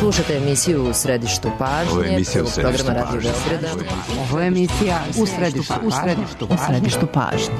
Slušate emisiju U središtu pažnje, programa Radio Beograda. Ovo je emisija U središtu pažnje.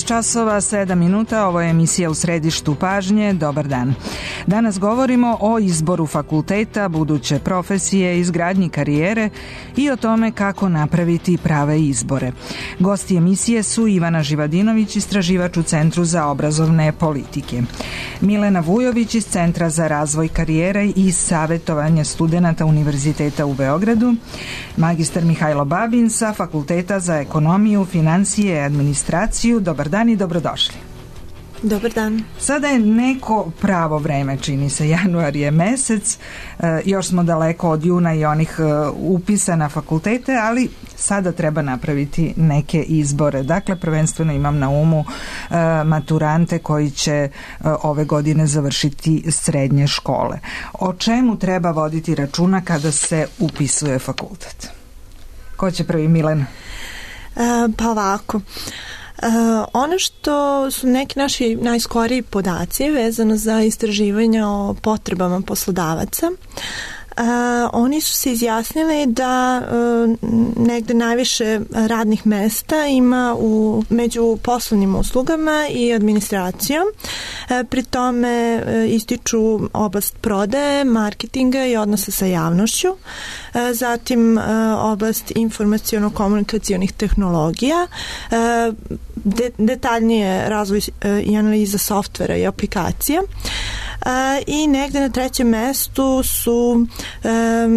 Časova 7 minuta, ovo je emisija U središtu pažnje. Dobar dan. Danas govorimo o izboru fakulteta, buduće profesije, izgradnji karijere i o tome kako napraviti prave izbore. Gosti emisije su Ivana Živadinović, istraživač u Centru za obrazovne politike, Milena Vujović iz Centra za razvoj karijere i savjetovanje studenata Univerziteta u Beogradu, magistar Mihajlo Babin sa Fakulteta za ekonomiju, financije i administraciju. Dobar dan i dobrodošli. Dobar dan. Sada je neko pravo vreme, čini se, januar je mesec, još smo daleko od juna i onih upisa na fakultete, ali sada treba napraviti neke izbore. Dakle, prvenstveno imam na umu maturante koji će ove godine završiti srednje škole. O čemu treba voditi računa kada se upisuje fakultet? Ko će prvi, Milena? Pa ovako. Ono što su neki naši najskoriji podaci vezano za istraživanja o potrebama poslodavaca, oni su se izjasnili da negde najviše radnih mesta ima među poslovnim uslugama i administracijom. Pri tome ističu oblast prodaje, marketinga i odnosa sa javnošću, zatim oblast informaciono-komunikacionih tehnologija, detaljnije razvoj i analiza softvera i aplikacija, i negde na trećem mestu su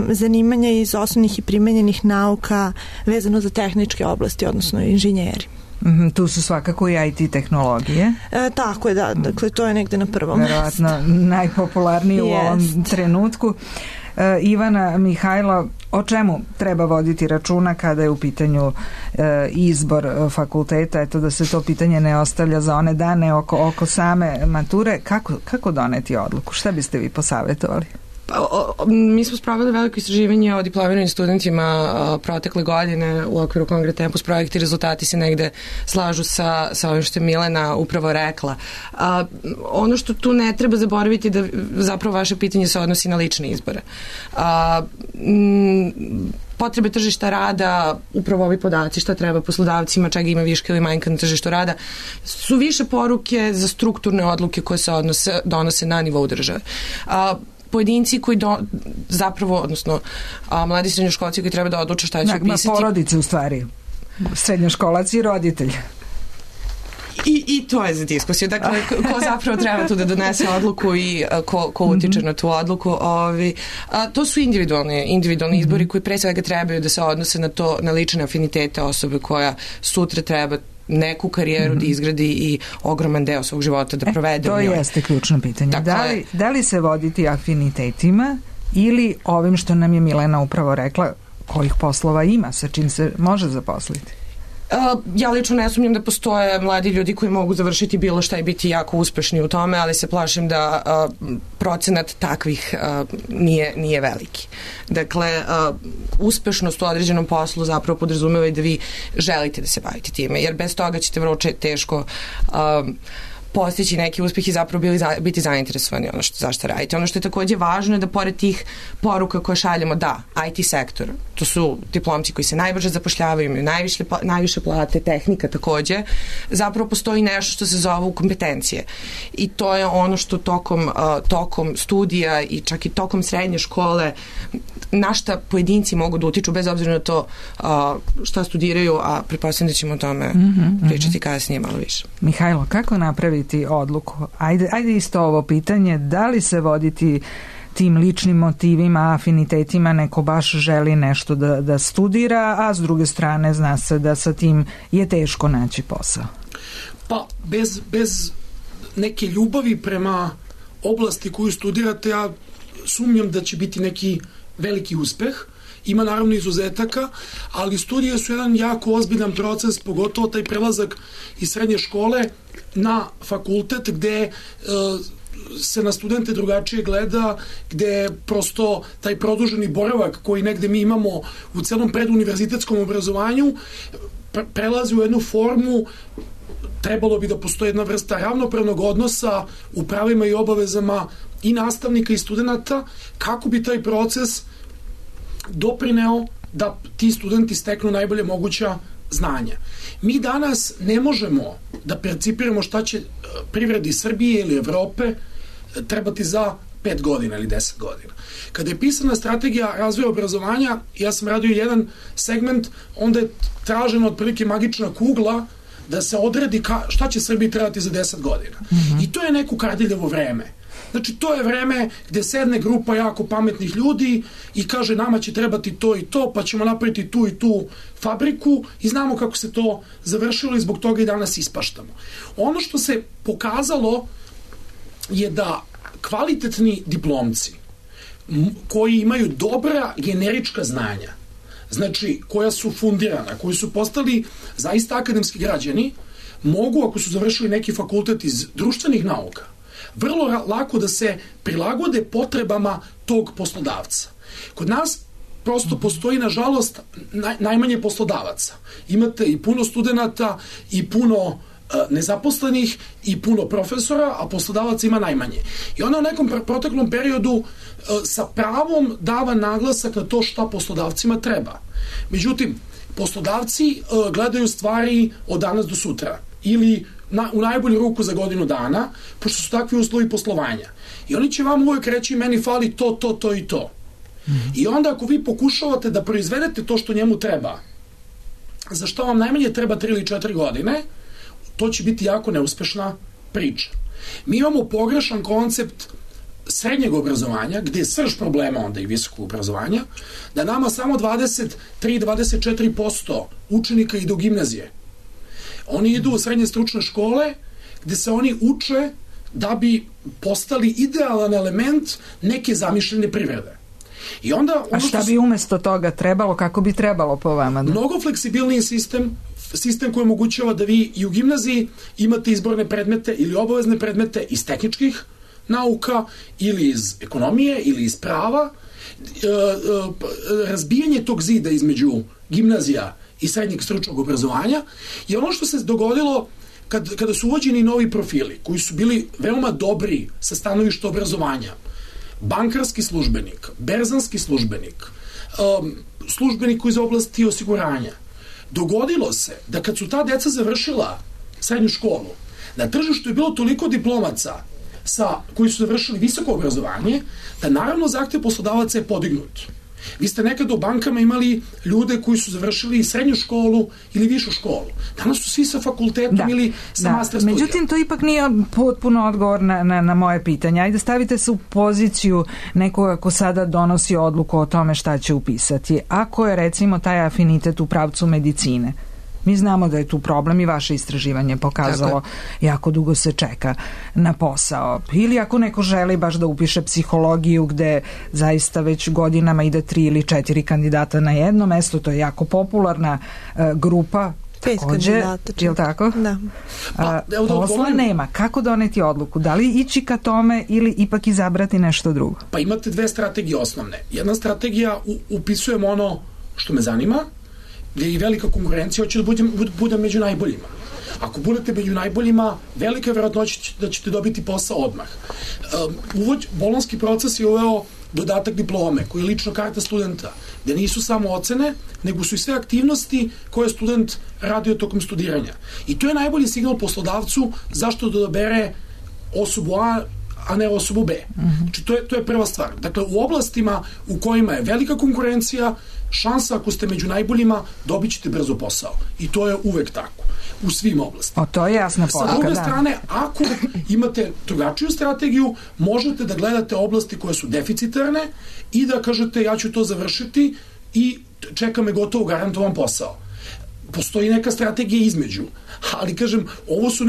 zanimanja iz osnovnih i primenjenih nauka vezano za tehničke oblasti, odnosno inženjeri. Tu su svakako i IT tehnologije. Tako je, da. Dakle, to je negde na prvom mestu. Verovatno najpopularnije u ovom trenutku. Ivana, Mihajlo, o čemu treba voditi računa kada je u pitanju izbor fakulteta? Eto, da se to pitanje ne ostavlja za one dane oko same mature. Kako doneti odluku? Šta biste vi posavjetovali? Mi smo spravili veliko istraživanje o diplomiranim studentima protekle godine u okviru Kongre Tempus projekta i rezultati se negde slažu sa ovim što je Milena upravo rekla. Ono što tu ne treba zaboraviti da zapravo vaše pitanje se odnosi na lične izbore. Potrebe tržišta rada, upravo ovi podaci šta treba poslodavcima, čega ima viška ili manjka na tržištu rada, su više poruke za strukturne odluke koje se donose na nivou države. Pojedinci koji zapravo, odnosno mladi srednjoškolci koji treba da odluče šta će upisati. Porodice u stvari, srednjoškolac i roditelj. I to je za diskusiju. Dakle, ko zapravo treba tu da donese odluku i ko utiče na tu odluku. To su individualni izbori koji pre svega trebaju da se odnose na lične afinitete osobe koja sutra treba neku karijeru da izgradi i ogroman deo svog života da provede u njoj. To jeste ključno pitanje. Dakle, da li se voditi afinitetima ili ovim što nam je Milena upravo rekla, kojih poslova ima, sa čim se može zaposliti? Ja lično ne sumnjam da postoje mladi ljudi koji mogu završiti bilo šta i biti jako uspešni u tome, ali se plašim da procenat takvih nije veliki. Dakle, uspešnost u određenom poslu zapravo podrazumeva i da vi želite da se bavite time, jer bez toga ćete vrlo teško postići neki uspeh i zapravo biti zainteresovani zašto radite. Ono što je takođe važno je da pored tih poruka koje šaljemo, da, IT sektor, to su diplomci koji se najbrže zapošljavaju, imaju najviše plate, tehnika takođe, zapravo postoji nešto što se zove kompetencije. I to je ono što tokom studija i čak i tokom srednje škole na šta pojedinci mogu da utiču, bez obzira na to šta studiraju, a pretpostavljam da ćemo o tome pričati kasnije malo više. Mihajlo, kako napraviti odluku? Ajde isto ovo pitanje, da li se voditi tim ličnim motivima, afinitetima, neko baš želi nešto da studira, a s druge strane zna se da sa tim je teško naći posao? Pa, bez neke ljubavi prema oblasti koju studirate, ja sumnjam da će biti neki veliki uspeh. Ima naravno izuzetaka, ali studije su jedan jako ozbiljan proces, pogotovo taj prelazak iz srednje škole na fakultet, gde se na studente drugačije gleda, gde prosto taj produženi boravak koji negde mi imamo u celom preduniverzitetskom obrazovanju prelazi u jednu formu. Trebalo bi da postoji jedna vrsta ravnopravnog odnosa u pravima i obavezama i nastavnika i studenta, kako bi taj proces doprineo da ti studenti steknu najbolje moguća znanja. Mi danas ne možemo da percipiramo šta će privredi Srbije ili Evrope trebati za 5 godina ili 10 godina. Kada je pisana strategija razvoja obrazovanja, ja sam radio jedan segment, onda je traženo otprilike magična kugla da se odredi šta će Srbiji trebati za 10 godina. I to je neko Kardiljevo vreme. Znači, to je vreme gde sedne grupa jako pametnih ljudi i kaže nama će trebati to i to, pa ćemo napraviti tu i tu fabriku i znamo kako se to završilo i zbog toga i danas ispaštamo. Ono što se pokazalo je da kvalitetni diplomci koji imaju dobra generička znanja, znači koja su fundirana, koji su postali zaista akademski građani, mogu, ako su završili neki fakultet iz društvenih nauka, vrlo lako da se prilagode potrebama tog poslodavca. Kod nas prosto postoji, nažalost, najmanje poslodavaca. Imate i puno studenata i puno nezaposlenih i puno profesora, a poslodavaca ima najmanje. I onda u nekom proteklom periodu sa pravom dava naglasak na to šta poslodavcima treba. Međutim, poslodavci gledaju stvari od danas do sutra ili u najbolju ruku za godinu dana, pošto su takvi uslovi poslovanja. I oni će vam uvijek reći meni fali to i to. I onda ako vi pokušavate da proizvedete to što njemu treba, za što vam najmanje treba 3 ili 4 godine, to će biti jako neuspešna priča. Mi imamo pogrešan koncept srednjeg obrazovanja, gde je srž problema onda i visokog obrazovanja, da nama samo 23-24% učenika ide u gimnazije. Oni idu u srednje stručne škole, gde se oni uče da bi postali idealan element neke zamišljene privrede. I onda, a šta bi umesto toga trebalo, kako bi trebalo po vama? Mnogo fleksibilniji sistem koji omogućava da vi i u gimnaziji imate izborne predmete ili obavezne predmete iz tehničkih nauka ili iz ekonomije ili iz prava. Razbijanje tog zida između gimnazija i srednjeg stručnog obrazovanja je ono što se dogodilo kada su uvođeni novi profili koji su bili veoma dobri sa stanovišta obrazovanja. Bankarski službenik, berzanski službenik, službenik koji iz oblasti osiguranja. Dogodilo se da kad su ta deca završila srednju školu, na tržištu je bilo toliko diplomaca koji su završili visoko obrazovanje, da naravno zahtev poslodavaca je podignut. Vi ste nekada u bankama imali ljude koji su završili srednju školu ili višu školu. Danas su svi sa fakultetom ili sa master studijom. Međutim, to ipak nije potpuno odgovor na moje pitanje. Ajde, stavite se u poziciju nekoga ko sada donosi odluku o tome šta će upisati. Ako je, recimo, taj afinitet u pravcu medicine, mi znamo da je tu problem i vaše istraživanje pokazalo jako dugo se čeka na posao. Ili ako neko želi baš da upiše psihologiju gde zaista već godinama ide 3 ili 4 kandidata na jedno mesto, to je jako popularna grupa. 5 kandidata. Je li tako? Da. Posla nema. Kako doneti odluku? Da li ići ka tome ili ipak izabrati nešto drugo? Pa imate 2 strategije osnovne. Jedna strategija, upisujem ono što me zanima, gdje je i velika konkurencija, hoće da budem među najboljima. Ako budete među najboljima, velika je verovatnoća da ćete dobiti posao odmah. Bolonjski proces je uveo dodatak diplome, koji je lična karta studenta, gde nisu samo ocene, nego su i sve aktivnosti koje student radio tokom studiranja. I to je najbolji signal poslodavcu zašto da odabere osobu a ne osobu B. Znači, to je prva stvar. Dakle, u oblastima u kojima je velika konkurencija, šansa ako ste među najboljima, dobit ćete brzo posao. I to je uvek tako. U svim oblastima. To je jasna poruka. Sa druge strane, ako imate drugačiju strategiju, možete da gledate oblasti koje su deficitarne i da kažete ja ću to završiti i čeka me gotovo garantovan posao. Postoji neka strategija između, ali kažem, ovo su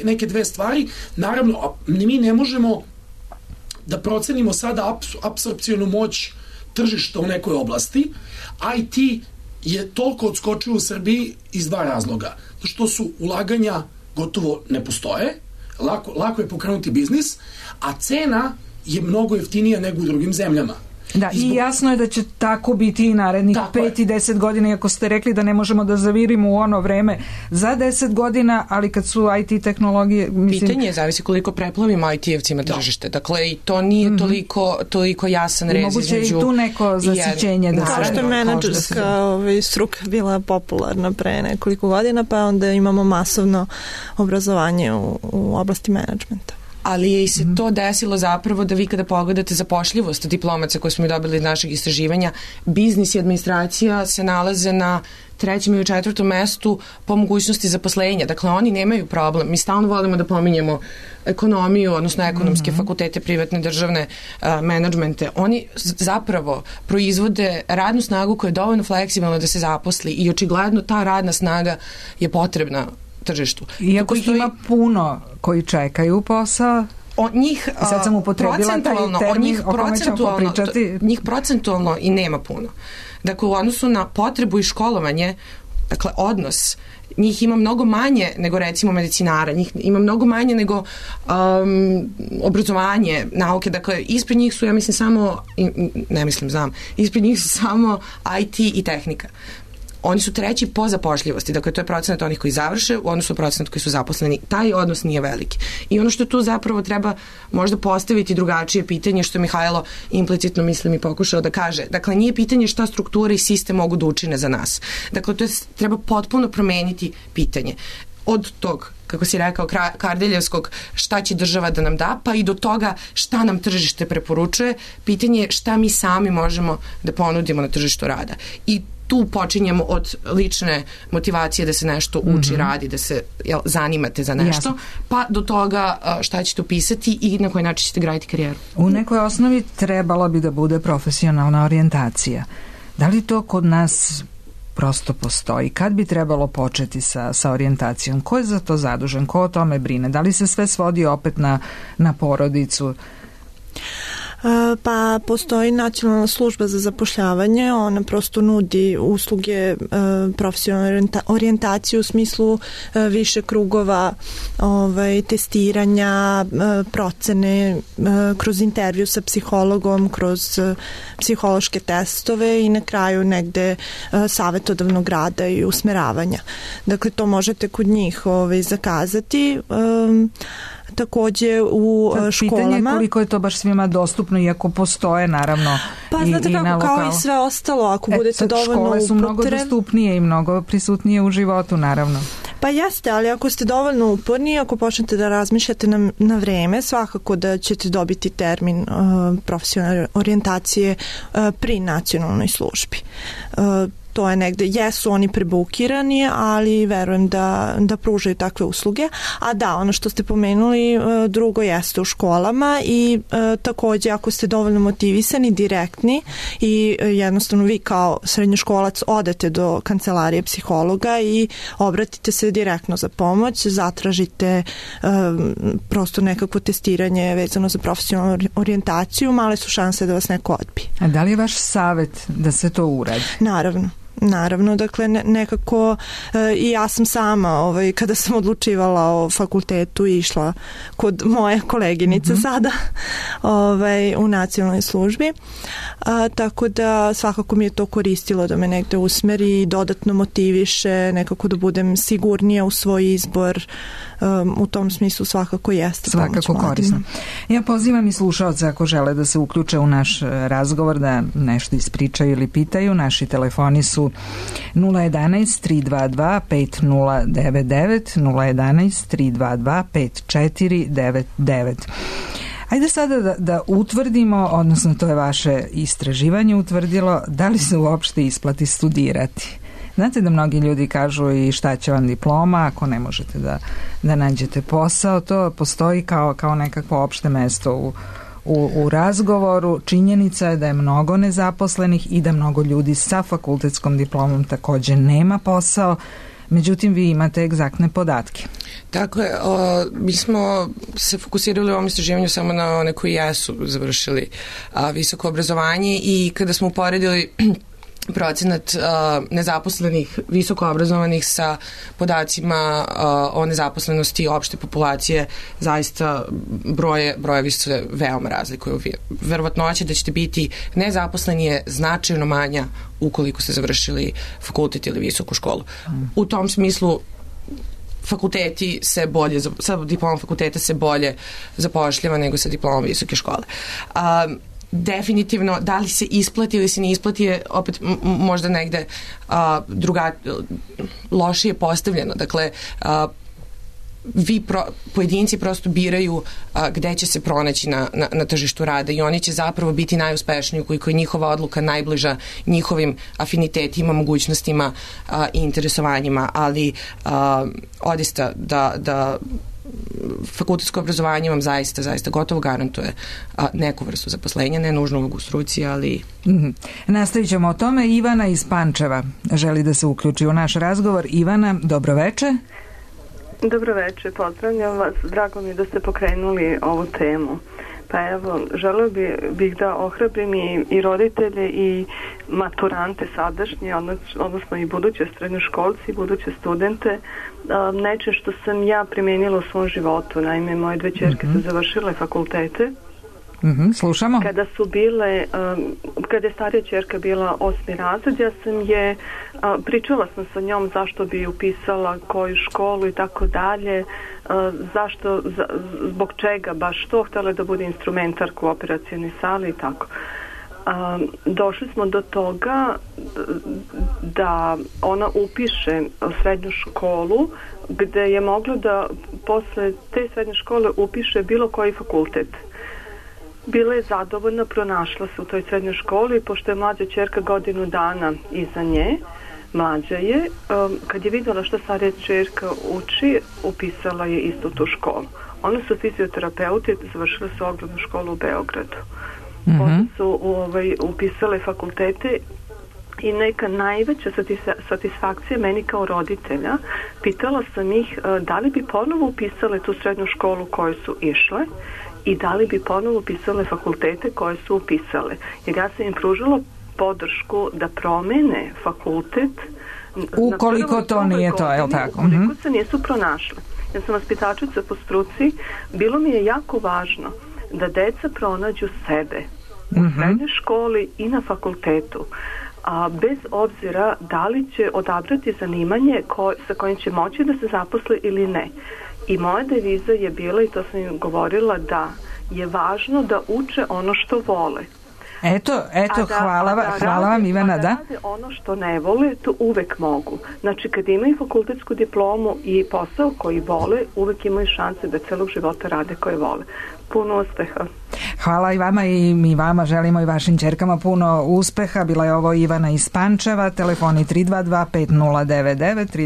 neke dve stvari. Naravno, mi ne možemo da procenimo sada apsorpcionu moć tržišta u nekoj oblasti. IT je toliko odskočio u Srbiji iz dva razloga. Što su ulaganja gotovo ne postoje, lako je pokrenuti biznis, a cena je mnogo jeftinija nego u drugim zemljama. Da, i jasno je da će tako biti i narednih 5 i 10 godina, iako ste rekli da ne možemo da zavirimo u ono vreme za 10 godina, ali kad su IT tehnologije... Pitanje je zavisi koliko preplavimo IT-evcima tržište. Dakle, i to nije toliko jasan rez između... Moguće je i tu neko zasićenje. Kao što je menadžerska struka bila popularna pre nekoliko godina, pa onda imamo masovno obrazovanje u oblasti menadžmenta. Ali je i se to desilo zapravo da vi kada pogledate zapošljivost diplomaca koje smo dobili iz našeg istraživanja, biznis i administracija se nalaze na 3. ili 4. mestu po mogućnosti zaposlenja. Dakle, oni nemaju problem. Mi stalno volimo da pominjemo ekonomiju, odnosno ekonomske fakultete, privatne, državne menadžmente. Oni zapravo proizvode radnu snagu koja je dovoljno fleksibilna da se zaposli i očigledno ta radna snaga je potrebna tržištu. Iako ima puno koji čekaju posao, sad sam upotrebila taj termin o kome ćemo popričati. Njih procentualno i nema puno. Dakle, u odnosu na potrebu i školovanje, dakle, odnos, njih ima mnogo manje nego recimo medicinara, njih ima mnogo manje nego obrazovanje, nauke, dakle, ispred njih su, ja mislim, ispred njih su samo IT i tehnika. Oni su 3. po zapošljivosti, dakle to je procenat onih koji završe u odnosu na procenat koji su zaposleni. Taj odnos nije veliki. I ono što tu zapravo treba možda postaviti drugačije pitanje, što Mihajlo implicitno mislim i pokušao da kaže. Dakle, nije pitanje šta struktura i sistem mogu da učine za nas. Dakle, to je, treba potpuno promeniti pitanje. Od tog, kako si rekao, Kardeljevskog šta će država da nam da, pa i do toga šta nam tržište preporučuje. Pitanje je šta mi sami možemo da ponudimo na tržištu rada. I tu počinjemo od lične motivacije da se nešto uči, radi, da se zanimate za nešto, pa do toga šta ćete upisati i na koji način ćete graditi karijeru. U nekoj osnovi trebalo bi da bude profesionalna orijentacija. Da li to kod nas prosto postoji? Kad bi trebalo početi sa orijentacijom? Ko je za to zadužen? Ko o tome brine? Da li se sve svodi opet na porodicu? Pa postoji Nacionalna služba za zapošljavanje, ona prosto nudi usluge profesionalne orijentacije u smislu više krugova testiranja, procene kroz intervju sa psihologom, kroz psihološke testove i na kraju negde savetodavnog rada i usmeravanja. Dakle, to možete kod njih zakazati. Takođe u školama. Pitanje je koliko je to baš svima dostupno, iako postoje naravno pa znate kako, na lokalu. Kao i sve ostalo, ako budete dovoljno škole su mnogo dostupnije i mnogo prisutnije u životu, naravno. Pa jeste, ali ako ste dovoljno uporni, ako počnete da razmišljate na vreme, svakako da ćete dobiti termin profesionalne orijentacije pri nacionalnoj službi. To je negde, jesu oni prebukirani, ali verujem da pružaju takve usluge. A da, ono što ste pomenuli, drugo jeste u školama i takođe ako ste dovoljno motivisani, direktni i jednostavno vi kao srednjoškolac odete do kancelarije psihologa i obratite se direktno za pomoć, zatražite prosto nekako testiranje vezano za profesionalnu orijentaciju, male su šanse da vas neko odbije. A da li je vaš savet da se to uradi? Naravno. Naravno, dakle nekako i ja sam sama kada sam odlučivala o fakultetu išla kod moje koleginice sada u nacionalnoj službi, tako da svakako mi je to koristilo da me negde usmeri i dodatno motiviše, nekako da budem sigurnija u svoj izbor. U tom smislu svakako jeste pomoć mladima. Korisno. Ja pozivam i slušaoce ako žele da se uključe u naš razgovor, da nešto ispričaju ili pitaju. Naši telefoni su 011 322 5099, 011 322 5499. Ajde sada da utvrdimo, odnosno to je vaše istraživanje utvrdilo, da li se uopšte isplati studirati. Znate da mnogi ljudi kažu i šta će vam diploma ako ne možete da nađete posao. To postoji kao nekakvo opšte mesto u razgovoru. Činjenica je da je mnogo nezaposlenih i da mnogo ljudi sa fakultetskom diplomom takođe nema posao. Međutim, vi imate egzaktne podatke. Dakle, mi smo se fokusirali u ovom istraživanju samo na one koji jesu završili visoko obrazovanje i kada smo uporedili procenat nezaposlenih visoko obrazovanih sa podacima o nezaposlenosti opšte populacije, zaista brojevi se veoma razlikuju. Verovatnoća da ćete biti nezaposleni je značajno manja ukoliko ste završili fakultet ili visoku školu. U tom smislu fakulteti se bolje, sa diplomom fakulteta se bolje zapošljava nego sa diplomom visoke škole. Definitivno, da li se isplati ili se ne isplati je opet možda negde lošije postavljeno. Dakle, pojedinci prosto biraju gde će se pronaći na tržištu rada i oni će zapravo biti najuspešniji ukoliko je njihova odluka najbliža njihovim afinitetima, mogućnostima i interesovanjima, ali odista da fakultetsko obrazovanje vam zaista gotovo garantuje neku vrstu zaposlenja, ne nužno u struci, ali... Nastavit ćemo o tome. Ivana iz Pančeva želi da se uključi u naš razgovor. Ivana, dobroveče. Dobroveče, pozdravljam vas. Drago mi je da ste pokrenuli ovu temu. Pa evo, želeo bih da ohrabrim i roditelje i maturante sadašnje, odnosno i buduće srednjoškolci i buduće studente, neče što sam ja primenila u svom životu. Naime, moje dve ćerke su završile fakultete. Slušamo. Kada je starija ćerka bila 8. razred, ja sam pričala sam sa njom zašto bi upisala koju školu i tako dalje, zbog čega baš to, htjela da bude instrumentarka u operacijonoj sali i tako. Došli smo do toga da ona upiše srednju školu gde je mogla da posle te srednje škole upiše bilo koji fakultet. Bila je zadovoljna, pronašla se u toj srednjoj školi, pošto je mlađa ćerka godinu dana iza nje, mlađa je, kad je vidjela što starija ćerka uči, upisala je isto tu školu. One su fizioterapeuti, završile su ogromnu školu u Beogradu. Onda su upisale fakultete i neka najveća satisfakcija meni kao roditelja, pitala sam ih da li bi ponovo upisale tu srednju školu koju su išle i da li bi ponovo upisale fakultete koje su upisale. Jer ja sam im pružila podršku da promene fakultet ukoliko to nije to, je li tako? Ukoliko se nisu pronašle. Ja sam vaspitačica po struci, bilo mi je jako važno da deca pronađu sebe u srednjoj školi i na fakultetu, a bez obzira da li će odabrati zanimanje sa kojim će moći da se zaposle ili ne. I moja deviza je bila, i to sam im govorila, da je važno da uče ono što vole. Eto, hvala vam Ivana, da? Rade ono što ne vole, to uvek mogu. Znači, kad imaju fakultetsku diplomu i posao koji vole, uvek imaju šanse da celog života rade koje vole. Puno uspeha. Hvala i vama i mi vama želimo i vašim ćerkama puno uspeha. Bila je ovo Ivana iz Pančeva, telefoni 322 5099,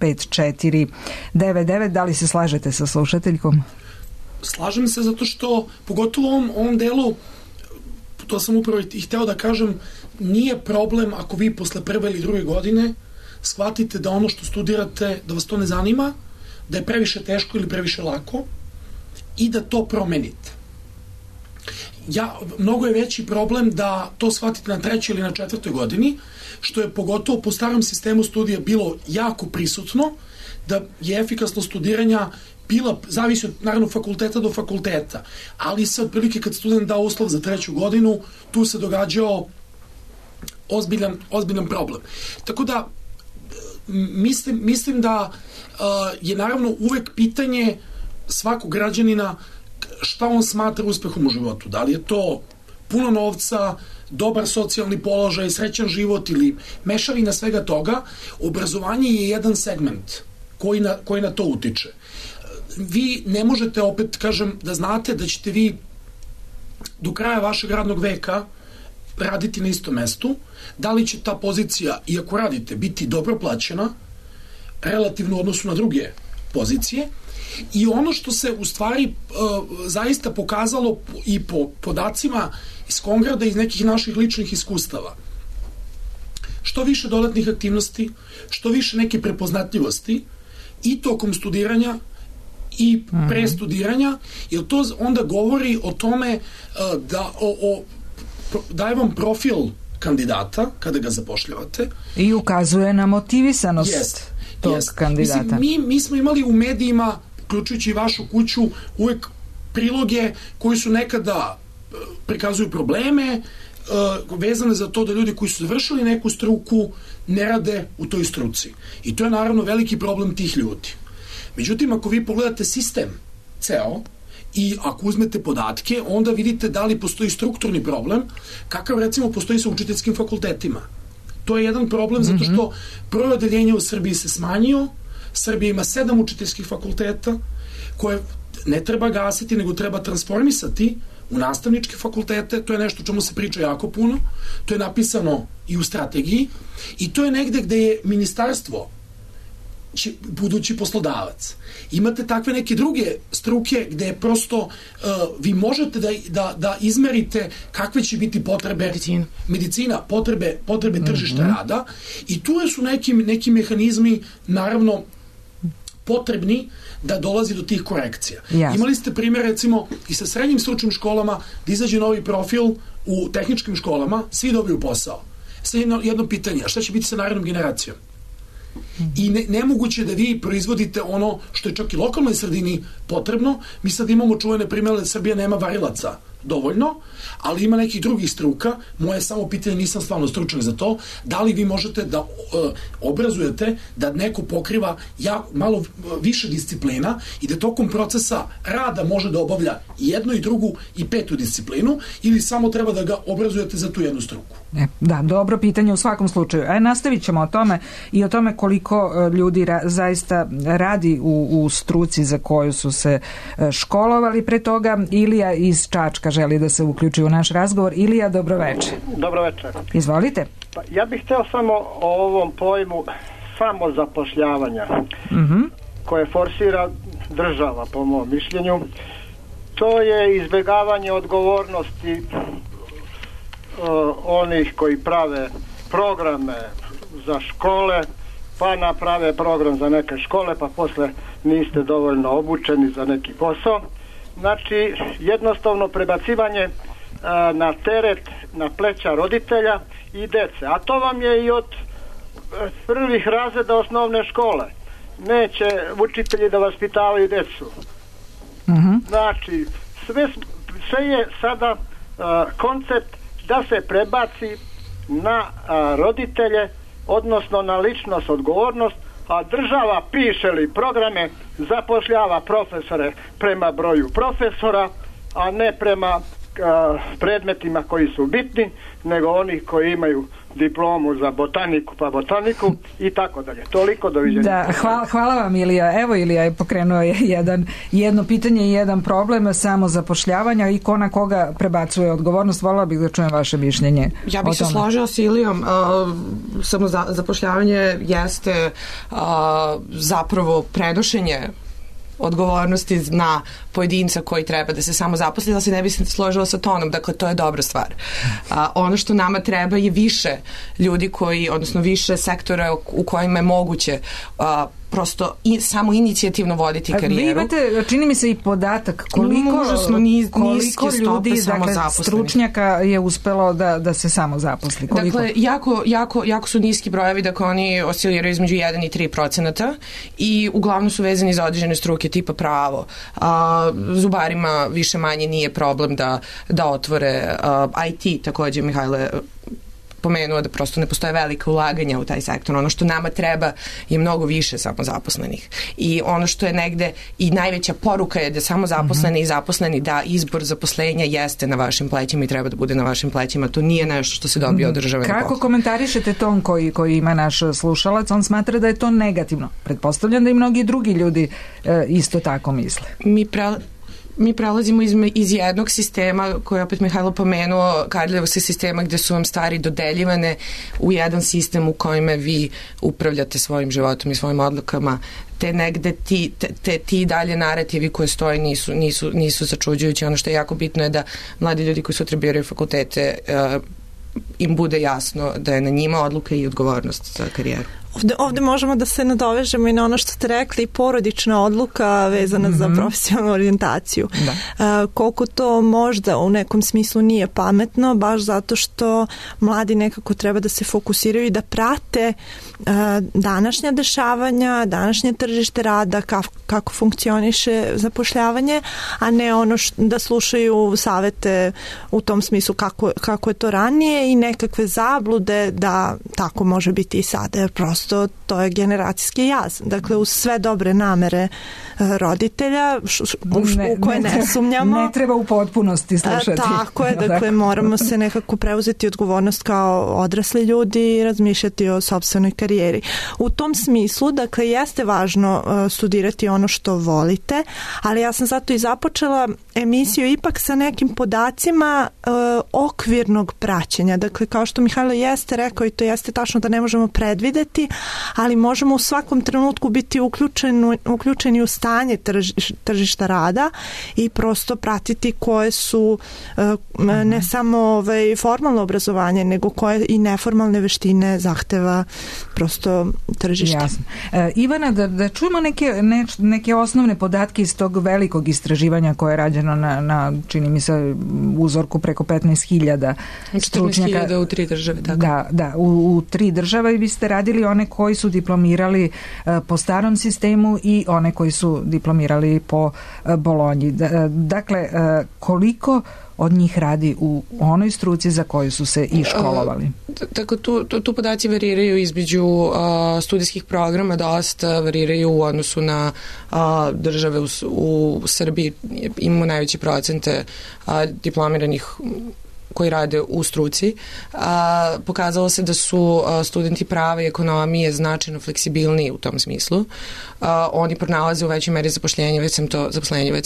322 5499. Da li se slažete sa slušateljkom? Slažem se zato što, pogotovo u ovom delu, to sam upravo i hteo da kažem, nije problem ako vi posle prve ili druge godine shvatite da ono što studirate, da vas to ne zanima, da je previše teško ili previše lako i da to promenite. mnogo je veći problem da to shvatite na 3. ili na 4. godini, što je pogotovo po starom sistemu studija bilo jako prisutno, da je efikasnost studiranja zavisi od, naravno, fakulteta do fakulteta, ali se otprilike kad student dao uslov za 3. godinu, tu se događao ozbiljan problem. Tako da, mislim da je naravno uvek pitanje svakog građanina šta on smatra uspehom u životu. Da li je to puno novca, dobar socijalni položaj, srećan život ili mešavina svega toga. Obrazovanje je jedan segment koji na to utiče. Vi ne možete, opet kažem, da znate da ćete vi do kraja vašeg radnog veka raditi na istom mestu, da li će ta pozicija, iako radite, biti dobro plaćena relativno u odnosu na druge pozicije. I ono što se u stvari zaista pokazalo i po podacima iz Kongrada i iz nekih naših ličnih iskustava, što više dodatnih aktivnosti, što više neke prepoznatljivosti i tokom studiranja i pre studiranja, jer to onda govori o tome da daje vam profil kandidata kada ga zapošljavate. I ukazuje na motivisanost tog kandidata. Mislim, mi smo imali u medijima, uključujući vašu kuću, uvek priloge koji su nekada prikazuju probleme vezane za to da ljudi koji su završili neku struku ne rade u toj struci. I to je naravno veliki problem tih ljudi. Međutim, ako vi pogledate sistem ceo i ako uzmete podatke, onda vidite da li postoji strukturni problem, kakav recimo postoji sa učiteljskim fakultetima. To je jedan problem zato što broj odeljenja u Srbiji se smanjio. Srbija ima 7 učiteljskih fakulteta koje ne treba gasiti, nego treba transformisati u nastavničke fakultete. To je nešto o čemu se priča jako puno. To je napisano i u strategiji i to je negde gde je ministarstvo budući poslodavac. Imate takve neke druge struke gde prosto vi možete da izmerite kakve će biti potrebe medicina, potrebe tržišta rada i tu su neki mehanizmi naravno potrebni da dolazi do tih korekcija. Yes. Imali ste primjer recimo i sa srednjim stručnim školama da izađe novi profil u tehničkim školama, svi dobiju posao. Sad jedno pitanje, a šta će biti sa narednom generacijom? I nemoguće da vi proizvodite ono što je čak i lokalnoj sredini potrebno. Mi sad imamo čuvene primjere da Srbija nema varilaca dovoljno, ali ima nekih drugih struka. Moje samo pitanje, nisam stvarno stručan za to, da li vi možete da obrazujete da neko pokriva malo više disciplina i da tokom procesa rada može da obavlja jednu i drugu i 5. disciplinu ili samo treba da ga obrazujete za tu jednu struku. Da, dobro pitanje u svakom slučaju. Nastavit ćemo o tome i o tome koliko ljudi zaista radi u struci za koju su se školovali. Pre toga Ilija iz Čačka želi da se uključi u naš razgovor. Ilija, dobroveče. Dobroveče. Izvolite. Ja bih hteo samo o ovom pojmu samozapošljavanja koje forsira država, po mom mišljenju. To je izbjegavanje odgovornosti onih koji prave programe za škole, pa naprave program za neke škole, pa posle niste dovoljno obučeni za neki posao. Znači, jednostavno prebacivanje na teret, na pleća roditelja i dece. A to vam je i od prvih razreda osnovne škole. Neće učitelji da vaspitavaju decu. Znači, sve je sada koncept da se prebaci na roditelje, odnosno na ličnost, odgovornost, a država piše li programe, zapošljava profesore prema broju profesora, a ne prema predmetima koji su bitni, nego onih koji imaju diplomu za botaniku pa botaniku i tako dalje. Toliko, doviđenja. Da, hvala vam Ilija. Evo Ilija je pokrenuo jedno pitanje i jedan problem samozapošljavanja i ko na koga prebacuje odgovornost. Volila bih da čujem vaše mišljenje. Ja bih se složila s Ilijom. Samozapošljavanje jeste zapravo prenošenje odgovornosti na pojedinca koji treba da se samo zaposli, da se ne bi se složila sa tonom, dakle to je dobra stvar. Ono što nama treba je više ljudi koji, odnosno više sektora u kojima je moguće prosto samo inicijativno voditi karijeru. Vi imate, čini mi se, i podatak koliko ljudi, dakle, stručnjaka je uspelo da se samo zaposli. Koliko? Dakle, jako su niski brojevi, dakle oni osciliraju između 1 i 3% i uglavnom su vezani za određene struke tipa pravo. Zubarima više manje nije problem da otvore IT, takođe Mihajle pomenuo da prosto ne postoje velike ulaganja u taj sektor. Ono što nama treba je mnogo više samozaposlenih. I ono što je negde i najveća poruka je da samozaposleni i zaposleni, da izbor zaposlenja jeste na vašim plećima i treba da bude na vašim plećima. To nije nešto što se dobije od države. Kako komentarišete ton koji ima naš slušalac? On smatra da je to negativno. Pretpostavljam da i mnogi drugi ljudi isto tako misle. Mi prelazimo iz jednog sistema, koji je opet Mihajlo pomenuo, Kardeljevskog sistema, gde su vam stvari dodeljivane, u jedan sistem u kojime vi upravljate svojim životom i svojim odlukama, te negde ti dalje narativi koje stoje nisu začuđujući. Ono što je jako bitno je da mladi ljudi koji sutra biraju fakultete im bude jasno da je na njima odluka i odgovornost za karijeru. Ovde možemo da se nadovežemo i na ono što ste rekli, porodična odluka vezana za profesionalnu orijentaciju. Koliko to možda u nekom smislu nije pametno, baš zato što mladi nekako treba da se fokusiraju i da prate današnja dešavanja, današnje tržište rada, kako funkcioniše zapošljavanje, a ne ono da slušaju savete u tom smislu kako je to ranije i nekakve zablude da tako može biti i sada, jer prosto to je generacijski jaz. Dakle, uz sve dobre namere roditelja, u koje ne sumnjamo. Ne treba u potpunosti slušati. Tako je, dakle, moramo se nekako preuzeti odgovornost kao odrasli ljudi i razmišljati o sopstvenoj karijeri. U tom smislu, dakle, jeste važno studirati ono što volite, ali ja sam zato i započela emisiju ipak sa nekim podacima okvirnog praćenja. Dakle, kao što Mihajlo jeste rekao, i to jeste tačno da ne možemo predvideti, ali možemo u svakom trenutku biti uključeni u stanje tržišta rada i prosto pratiti koje su ne samo formalno obrazovanje, nego koje i neformalne veštine zahteva prosto tržište. Jasno. Ivana, da čujemo neke osnovne podatke iz tog velikog istraživanja koje je rađeno na čini mi se, uzorku preko 15.000 stručnjaka. 14.000 u 3 države. Tako. Da, u 3 države i vi ste radili one koji su diplomirali po starom sistemu i one koji su diplomirali po Bolonji. Dakle, koliko od njih radi u onoj struci za koju su se i školovali? Tako, tu podaci variraju između studijskih programa, dosta variraju u odnosu na države u Srbiji. Imamo najveće procente diplomiranih koji rade u struci. Pokazalo se da su studenti prava i ekonomije značajno fleksibilniji u tom smislu. Oni pronalaze u većoj meri zaposlenje, već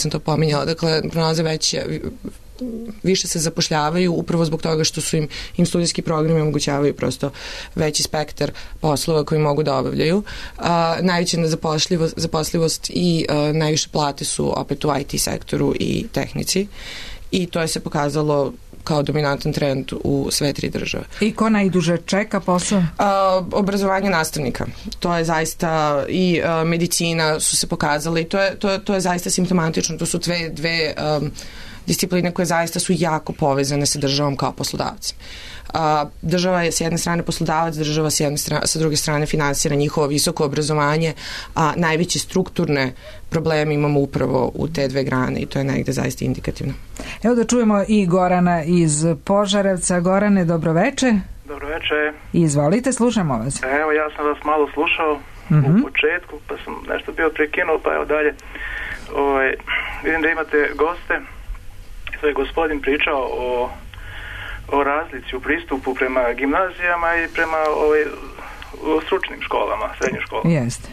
sam to pominjala. Dakle, pronalaze više se zapošljavaju upravo zbog toga što su im studijski programi omogućavaju prosto veći spektar poslova koji mogu da obavljaju. Najveća zapošljivost i najviše plate su opet u IT sektoru i tehnici i to je se pokazalo kao dominantan trend u sve 3 države. I ko najduže čeka posao? Obrazovanje nastavnika. To je zaista i medicina su se pokazale i to je zaista simptomatično. To su dve discipline koje zaista su jako povezane sa državom kao poslodavcem. Država je s jedne strane poslodavac, država sa druge strane finansira njihovo visoko obrazovanje, a najveće strukturne probleme imamo upravo u te 2 grane i to je negde zaista indikativno. Evo da čujemo i Gorana iz Požarevca. Gorane, dobroveče. Dobroveče. Izvolite, slušamo vas. Evo, ja sam vas malo slušao u početku, pa sam nešto bio prekinuo, pa evo dalje. Vidim da imate goste. To je gospodin pričao o razlici u pristupu prema gimnazijama i prema stručnim školama, srednjim školama. Jeste.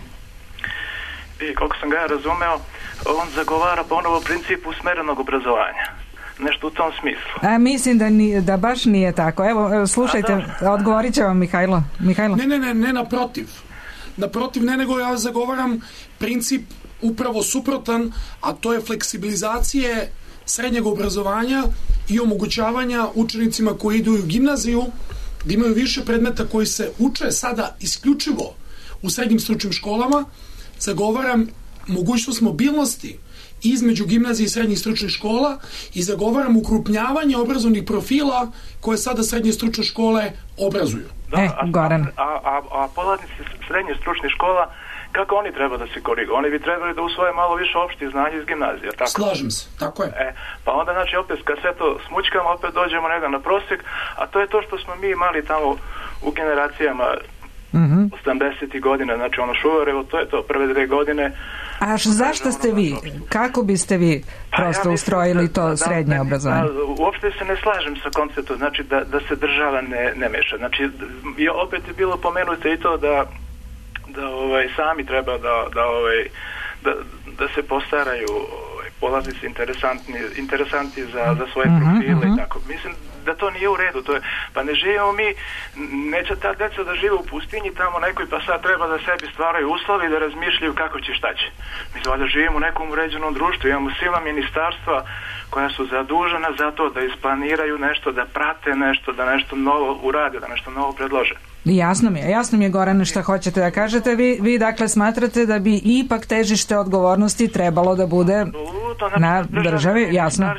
I koliko sam ga ja razumeo, on zagovara ponovo princip usmerenog obrazovanja. Nešto u tom smislu. Mislim da baš nije tako. Evo, slušajte, odgovorit će vam Mihajlo. Ne, naprotiv. Naprotiv, nego ja zagovaram princip upravo suprotan, a to je fleksibilizacije srednjeg obrazovanja i omogućavanja učenicima koji idu u gimnaziju da imaju više predmeta koji se uče sada isključivo u srednjim stručnim školama, zagovaram mogućnost mobilnosti između gimnazije i srednjih stručnih škola i zagovaram ukrupnjavanje obrazovnih profila koje sada srednje stručne škole obrazuju. Goran. A polaznici srednje stručnih škola, kako oni treba da se koriguju? Oni bi trebali da usvoje malo više opštih znanja iz gimnazije, tako? Slažem se, tako je. Pa onda, znači, opet, kad sve to smućkamo, opet dođemo negdje na prosjek, a to je to što smo mi imali tamo u generacijama 80. godina, znači ono Šuvarevo, to je to, prve 2 godine. A zašto ste vi, kako biste vi prosto ustrojili to srednje obrazovanje? Uopšte se ne slažem sa konceptom, znači da se država ne meša. Znači, opet je bilo pomenuto i to da sami treba da se postaraju polaznici interesanti za svoje profile i tako. Mislim da to nije u redu. Pa ne živimo mi, neće ta deca da žive u pustinji tamo nekoj, pa sad treba da sebi stvaraju uslovi da razmišljaju kako će, šta će. Mi valjda živimo u nekom uređenom društvu, imamo silna ministarstva koja su zadužena za to da isplaniraju nešto, da prate nešto, da nešto novo urade, da nešto novo predlože. Jasno mi je, Gorane, šta hoćete da kažete. Vi dakle smatrate da bi ipak težište odgovornosti trebalo da bude na državi, jasno.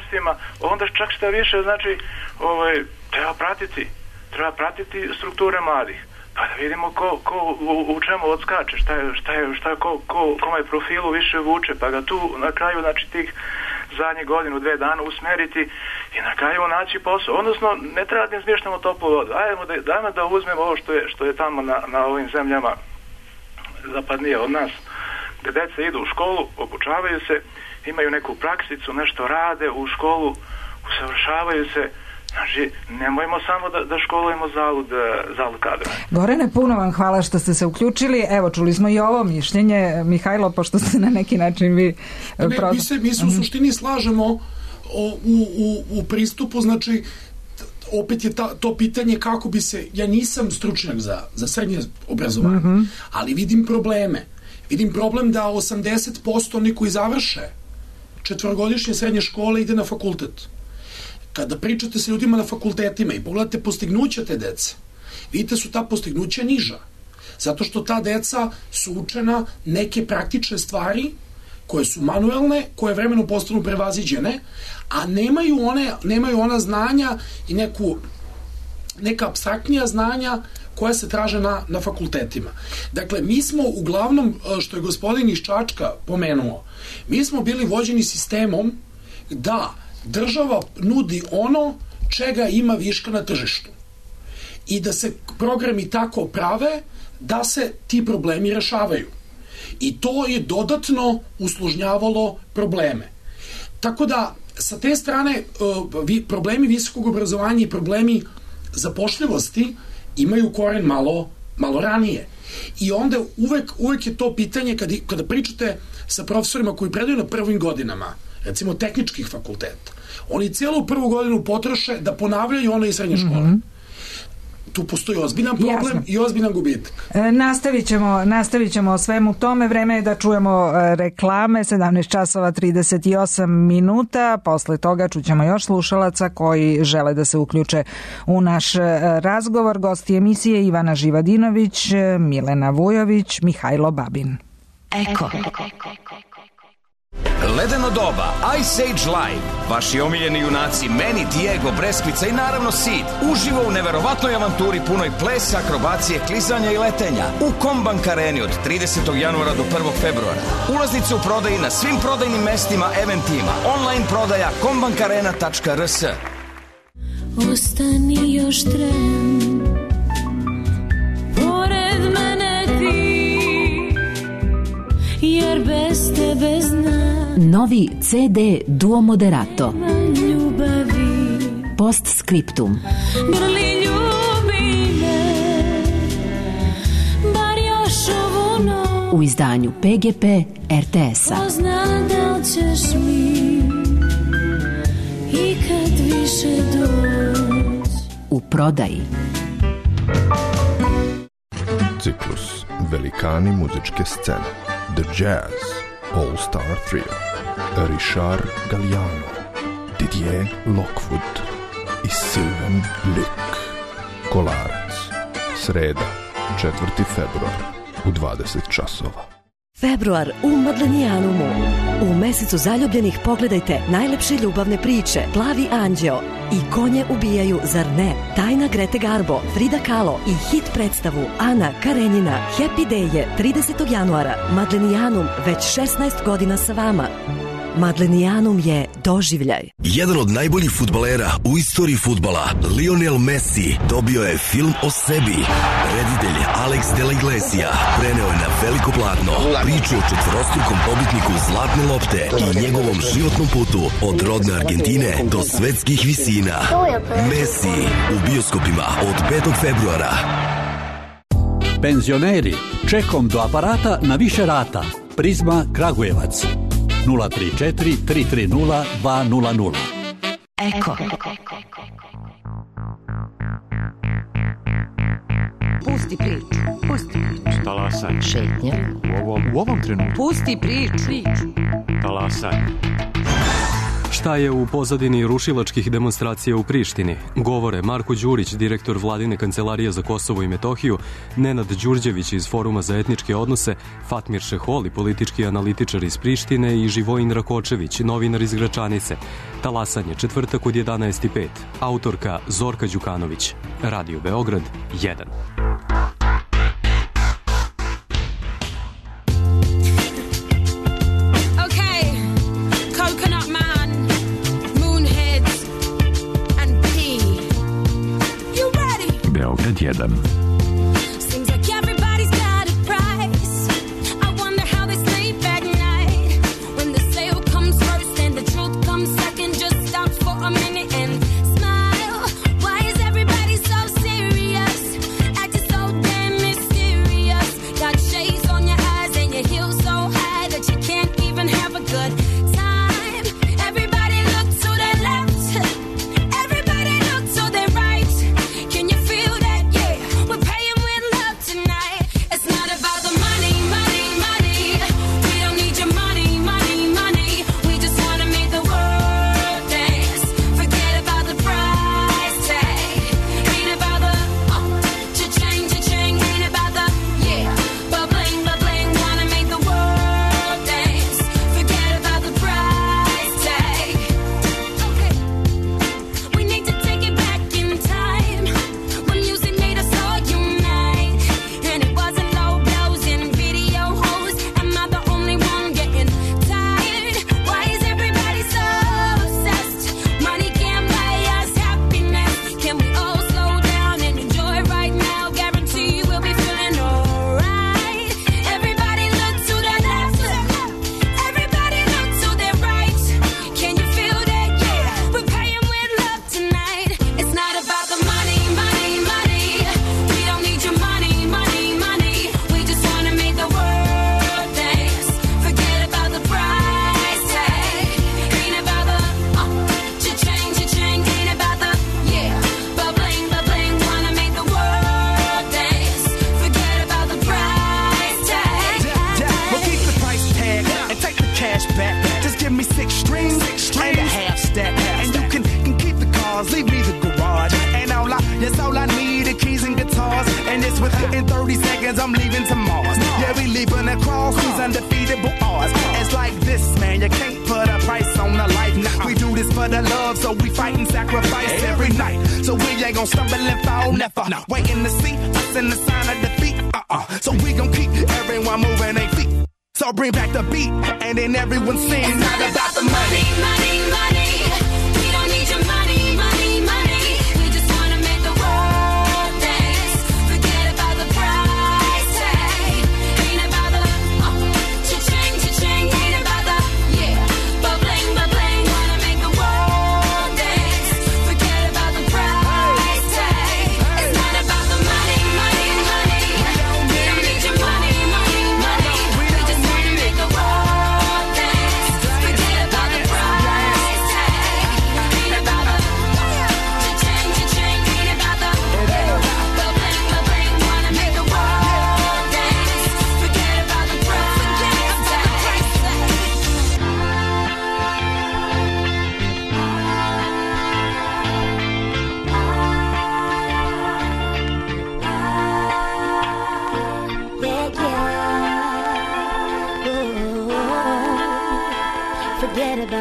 Onda čak šta više, znači, treba pratiti strukture mladih. Pa da vidimo ko u čemu odskače, kome je profilu više vuče, pa ga tu na kraju, znači, tih zadnjih godinu, 2 dana usmeriti i na kraju naći posao. Odnosno, ne treba da izmišljamo toplu vodu. Dajmo da uzmemo ovo što je tamo na ovim zemljama zapadnije od nas, gde deca idu u školu, obučavaju se, imaju neku praksicu, nešto rade u školu, usavršavaju se. Znači, nemojmo samo da školujemo zalud kadra. Gorane, puno vam hvala što ste se uključili. Evo, čuli smo i ovo mišljenje. Mihajlo, pošto ste na neki način vi... Mi se u suštini slažemo u pristupu, znači, opet je to pitanje kako bi se... Ja nisam stručnjak za srednje obrazovanje, ali vidim probleme. Vidim problem da 80% oni koji završe 4-godišnje srednje škole ide na fakultet. Kada pričate sa ljudima na fakultetima i pogledate postignuća te dece, vidite su ta postignuća niža. Zato što ta deca su učena neke praktične stvari koje su manuelne, koje vremenom postanu prevaziđene, a nemaju ona znanja i neka apstraktnija znanja koja se traže na fakultetima. Dakle, mi smo uglavnom, što je gospodin iz Čačka pomenuo, mi smo bili vođeni sistemom da država nudi ono čega ima viška na tržištu i da se programi tako prave da se ti problemi rešavaju. I to je dodatno usložnjavalo probleme. Tako da, sa te strane, problemi visokog obrazovanja i problemi zapošljivosti imaju koren malo ranije. I onda uvek je to pitanje, kada pričate sa profesorima koji predaju na prvim godinama, recimo tehničkih fakulteta, oni cijelu prvu godinu potroše da ponavljaju ono iz srednje škole. Tu postoji ozbiljan problem i ozbiljan gubitak. Nastavit ćemo o svemu tome. Vreme je da čujemo reklame, 17:38. Posle toga čućemo još slušalaca koji žele da se uključe u naš razgovor. Gosti emisije Ivana Živadinović, Milena Vujović, Mihajlo Babin. Eko. Ledeno doba, Ice Age Live, vaši omiljeni junaci Meni, Diego, Breskvica i naravno Sid, uživo u neverovatnoj avanturi punoj plesa, akrobacije, klizanja i letenja u Kombank Areni od 30. januara do 1. februara. Ulaznice u prodaji na svim prodajnim mestima, eventima, online prodaja kombankarena.rs. Ostani još tren, pored mene ti, jer bez tebe znam. Novi CD Duo Moderato. Postscriptum. Grli ljubi me, bar još ovu noć. U izdanju PGP RTS-a. Pozna da li ćeš mi ikad više doć. U prodaji. Ciklus Velikani muzičke scene. The Jazz All Star Trio. Richard Galliano, Didier Lockwood i Sylvain Luc. Kolarac. Sreda, 4. februar u 20 časova. Februar u Madlenijanumu. U mesecu zaljubljenih pogledajte najlepše ljubavne priče Plavi anđeo i Konje ubijaju, zar ne? Tajna Grete Garbo, Frida Kahlo i hit predstavu Ana Karenjina. Happy Day je 30. januara. Madlenijanum već 16 godina sa vama. Madlenijanum je doživljaj. Jedan od najboljih fudbalera u istoriji fudbala, Lionel Messi, dobio je film o sebi. Reditelj Alex de la Iglesia preneo je na veliko platno priču o četvorostrukom pobitniku Zlatne lopte i njegovom životnom putu od rodne Argentine do svetskih visina. Messi u bioskopima od 5. februara. Penzioneri, čekom do aparata na više rata. Prizma Kragujevac. 034 330 200. Eko. Pusti priču. Pusti priču. Talasaj. Šetnja. U ovom trenutku. Pusti priču. Talasaj. Šta je u pozadini rušilačkih demonstracija u Prištini? Govore Marko Đurić, direktor Vladine kancelarije za Kosovo i Metohiju, Nenad Đurđević iz Foruma za etničke odnose, Fatmir Šeholi, politički analitičar iz Prištine i Živojin Rakočević, novinar iz Gračanice. Talasanje, četvrtak od 11:05. Autorka Zorka Đukanović. Radio Beograd 1. Beograd 1.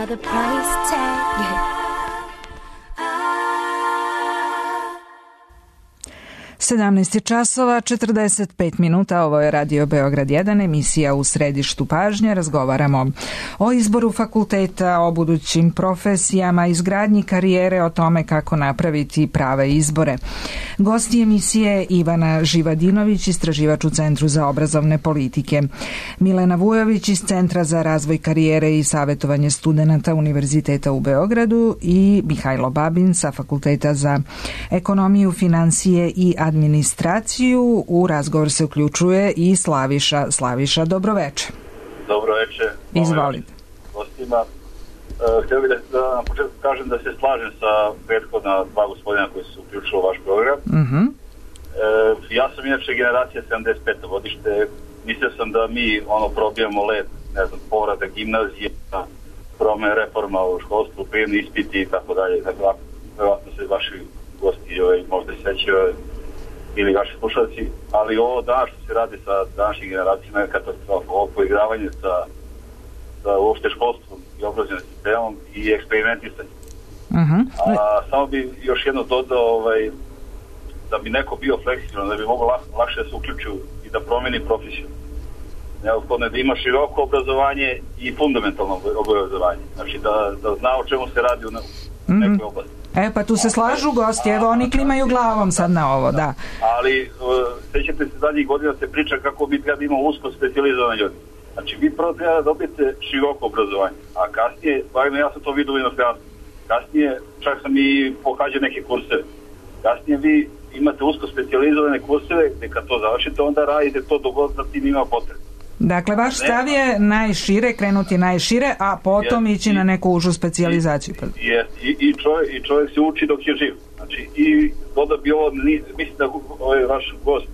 by the price tag. 17 časova, 45 minuta, ovo je Radio Beograd 1, emisija U središtu pažnje. Razgovaramo o izboru fakulteta, o budućim profesijama, izgradnji karijere, o tome kako napraviti prave izbore. Gosti emisije Ivana Živadinović, istraživač u Centru za obrazovne politike, Milena Vujović iz Centra za razvoj karijere i savjetovanje studenata Univerziteta u Beogradu i Mihajlo Babin sa Fakulteta za ekonomiju, finansije i administraciju. U razgovor se uključuje i Slaviša. Slaviša, dobroveče. Dobroveče. Izvolite. Gostima. Htio bih da na početku kažem da se slažem sa prethodna dva gospodina koji su uključili u vaš program. Ja sam inače generacija 75. godište. Mislio sam da mi probijamo led, ne znam, povrata gimnazije, promene reforma u školstvu, prijemni ispiti i tako dalje. Vjerojatno se vaši gosti možda sećaju ili vaši slušalci, ali ovo danas što se radi sa današnjim generacijama je katastrofa. Ovo poigravanje sa uopšte školstvom i obrazovnim sistemom i eksperimentisanje. Samo bi još jedno dodao da bi neko bio fleksibilan, da bi mogo lakše da se uključu i da promeni profesiju. Neophodno je da ima široko obrazovanje i fundamentalno obrazovanje. Znači da zna o čemu se radi u nekoj oblasti. Pa tu se slažu gosti, evo oni klimaju glavom sad na ovo, da. Ali sećate se zadnjih godina se priča kako bi treba imao usko specijalizovane ljudi. Znači vi prvo treba da dobijete široko obrazovanje, a kasnije, barem ja sam to vidio u inostranstvu, kasnije čak sam i pohađao neke kurseve. Kasnije vi imate usko specijalizovane kurseve gde kad to završite onda radite to dok god za tim ima potrebe. Dakle, vaš stav je najšire, krenuti najšire, a potom ići na neku užu specijalizaciju. I čovjek se uči dok je živ. Znači, i dodao bi ovo, mislim da ovaj vaš gost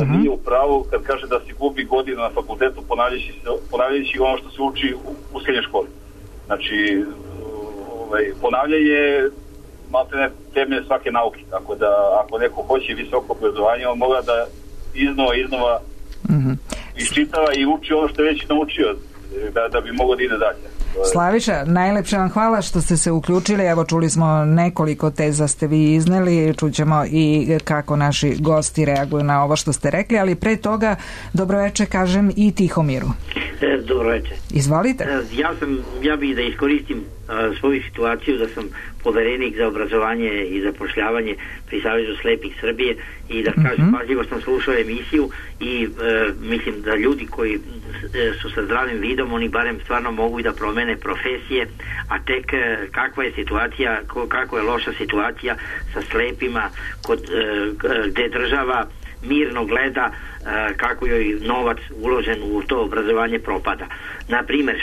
nije u pravu kad kaže da se gubi godina na fakultetu ponavljajući ono što se uči u srednjoj školi. Znači, ponavljanje je maltene temelj svake nauke. Tako da, ako neko hoće visoko obrazovanje, on mora da iznova iščitava i uči ono što je već naučio da bi mogao da ide dalje. Slaviša, najlepše vam hvala što ste se uključili. Evo, čuli smo nekoliko teza ste vi izneli, čućemo i kako naši gosti reaguju na ovo što ste rekli, ali pre toga dobroveče kažem i Tihomiru. Dobroveče. Izvolite. Ja bih da iskoristim svoju situaciju da sam poverenik za obrazovanje i zapošljavanje pri Savezu slepih Srbije i da kažem, pažljivo sam slušao emisiju i mislim da ljudi koji su sa zdravim vidom, oni barem stvarno mogu i da promene profesije, a tek kakva je situacija, kako je loša situacija sa slepima gde država mirno gleda kako joj novac uložen u to obrazovanje propada. Naprimer,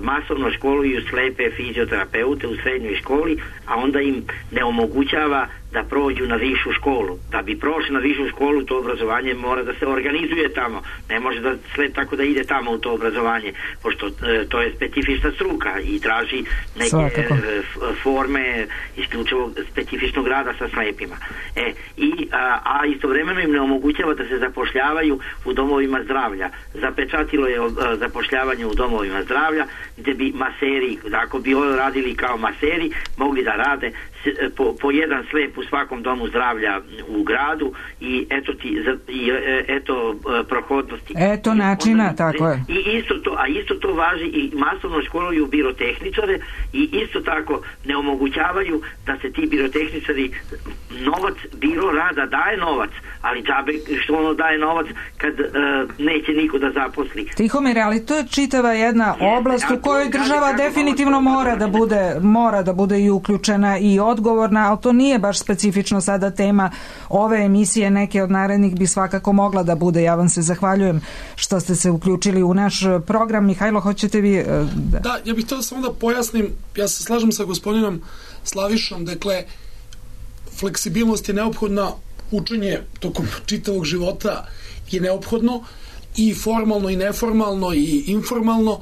masovno školuju slepe fizioterapeute u srednjoj školi, a onda im ne omogućava da prođu na višu školu. Da bi prošli na višu školu, to obrazovanje mora da se organizuje tamo. Ne može da sve tako da ide tamo u to obrazovanje, pošto to je specifična struka i traži neke forme isključivo specifičnog rada sa slepima. A istovremeno im ne omogućava da se zapošljavaju u domovima zdravlja. Zapečatilo je zapošljavanje u domovima zdravlja, gde bi maseri, ako bi radili kao maseri, mogli da rade po jedan slep u svakom domu zdravlja u gradu i eto prohodnosti. Eto načina, tako je. Isto to važi i masovno školuju birotehničare i isto tako ne omogućavaju da se ti birotehničari biro rada daje novac, ali džabe što ono daje novac kad neće niko da zaposli. Tihomir, ali to je čitava jedna oblast u kojoj država definitivno mora da bude i uključena i odgovorna, ali to nije baš specifično sada tema ove emisije, neke od narednih bi svakako mogla da bude. Ja vam se zahvaljujem što ste se uključili u naš program. Mihajlo, hoćete vi? Da, ja bih to samo da pojasnim, ja se slažem sa gospodinom Slavišom, dakle, fleksibilnost je neophodna, učenje tokom čitavog života je neophodno i formalno i neformalno i informalno.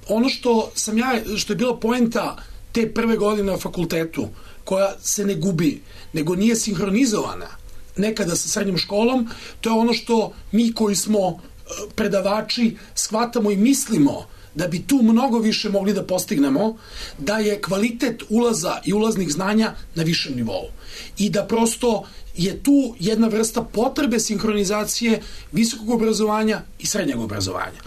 Ono što je bila poenta te prve godine na fakultetu, koja se ne gubi, nego nije sinhronizovana nekada sa srednjom školom, to je ono što mi koji smo predavači shvatamo i mislimo da bi tu mnogo više mogli da postignemo, da je kvalitet ulaza i ulaznih znanja na višem nivou. I da prosto je tu jedna vrsta potrebe sinhronizacije visokog obrazovanja i srednjeg obrazovanja.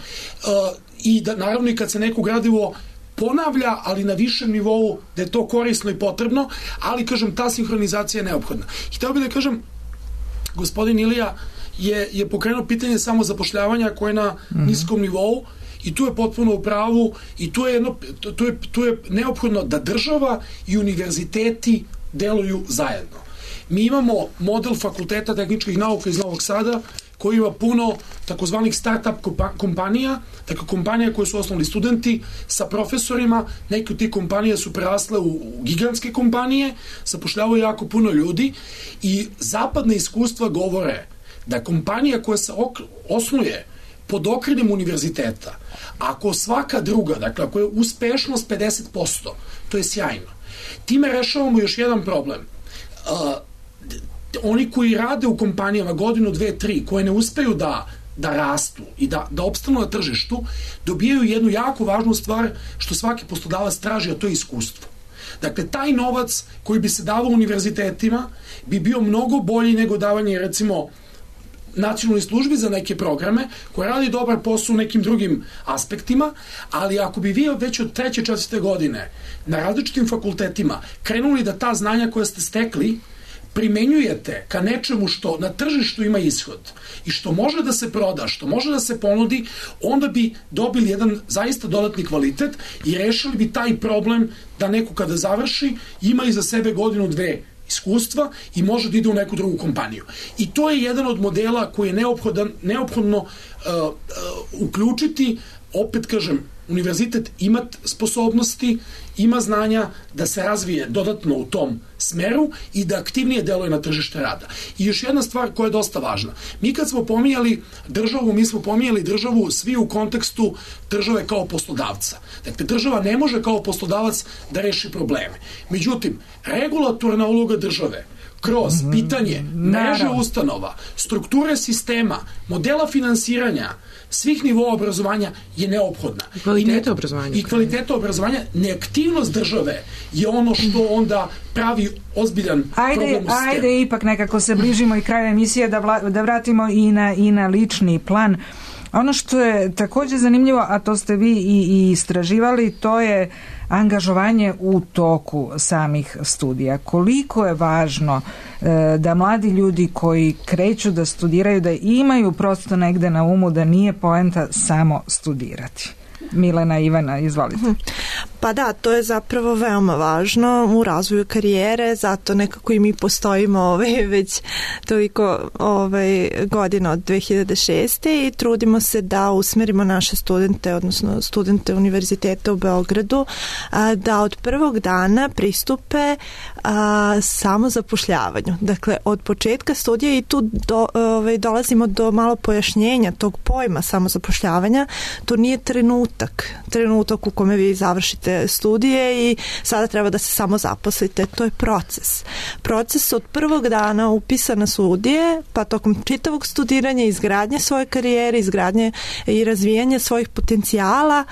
I da naravno i kad se neko gradivo ponavlja, ali na višem nivou, da je to korisno i potrebno, ali kažem, ta sinhronizacija je neophodna. I hteo bih da kažem, gospodin Ilija je pokrenuo pitanje samozapošljavanja koje je na niskom nivou i tu je potpuno u pravu i tu je neophodno da država i univerziteti deluju zajedno. Mi imamo model Fakulteta tehničkih nauka iz Novog Sada koji ima puno takozvanih start-up kompanija, dakle kompanija koje su osnovali studenti sa profesorima, neke od tih kompanija su prerasle u gigantske kompanije, zapošljavaju jako puno ljudi i zapadne iskustva govore da kompanija koja se osnuje pod okriljem univerziteta, ako svaka druga, dakle ako je uspešnost 50%, to je sjajno. Time rešavamo još jedan problem. Oni koji rade u kompanijama godinu, 2, 3, koje ne uspeju da rastu i da opstanu na tržištu, dobijaju jednu jako važnu stvar što svaki poslodavac traži, a to je iskustvo. Dakle, taj novac koji bi se davao univerzitetima bi bio mnogo bolji nego davanje, recimo, nacionalnoj službi za neke programe koje radi dobar posao u nekim drugim aspektima, ali ako bi vi već od 3. 4. godine na različitim fakultetima krenuli da ta znanja koja ste stekli primenjujete ka nečemu što na tržištu ima ishod i što može da se proda, što može da se ponudi, onda bi dobili jedan zaista dodatni kvalitet i rešili bi taj problem da neko kada završi ima iza sebe godinu, 2 iskustva i može da ide u neku drugu kompaniju. I to je jedan od modela koji je neophodno uključiti, opet kažem, univerzitet ima sposobnosti, ima znanja da se razvije dodatno u tom smeru i da aktivnije deluje na tržište rada. I još jedna stvar koja je dosta važna. Mi kad smo pominjali državu, mi smo pominjali državu svi u kontekstu države kao poslodavca. Dakle, država ne može kao poslodavac da reši probleme. Međutim, regulatorna uloga države kroz pitanje mreže ustanova, strukture sistema, modela finansiranja, svih nivoa obrazovanja je neophodna. I kvaliteta obrazovanja, neaktivnost države je ono što onda pravi ozbiljan problem u sistemu. Ajde, ipak nekako se bližimo i kraju emisije da vratimo i na lični plan. Ono što je također zanimljivo, a to ste vi i istraživali, to je angažovanje u toku samih studija. Koliko je važno da mladi ljudi koji kreću da studiraju, da imaju prosto negde na umu da nije poenta samo studirati. Milena, Ivana, izvolite. Pa da, to je zapravo veoma važno u razvoju karijere, zato nekako i mi postojimo već toliko godina od 2006. i trudimo se da usmerimo naše studente, odnosno studente univerziteta u Beogradu, da od prvog dana pristupe samozapošljavanju. Dakle, od početka studija i tu dolazimo do malo pojašnjenja tog pojma samozapošljavanja. To nije trenutak u kome vi završite studije i sada treba da se samo zaposlite. To je proces. Proces od prvog dana upisa na studije, pa tokom čitavog studiranja, izgradnje svoje karijere, izgradnje i razvijanje svojih potencijala,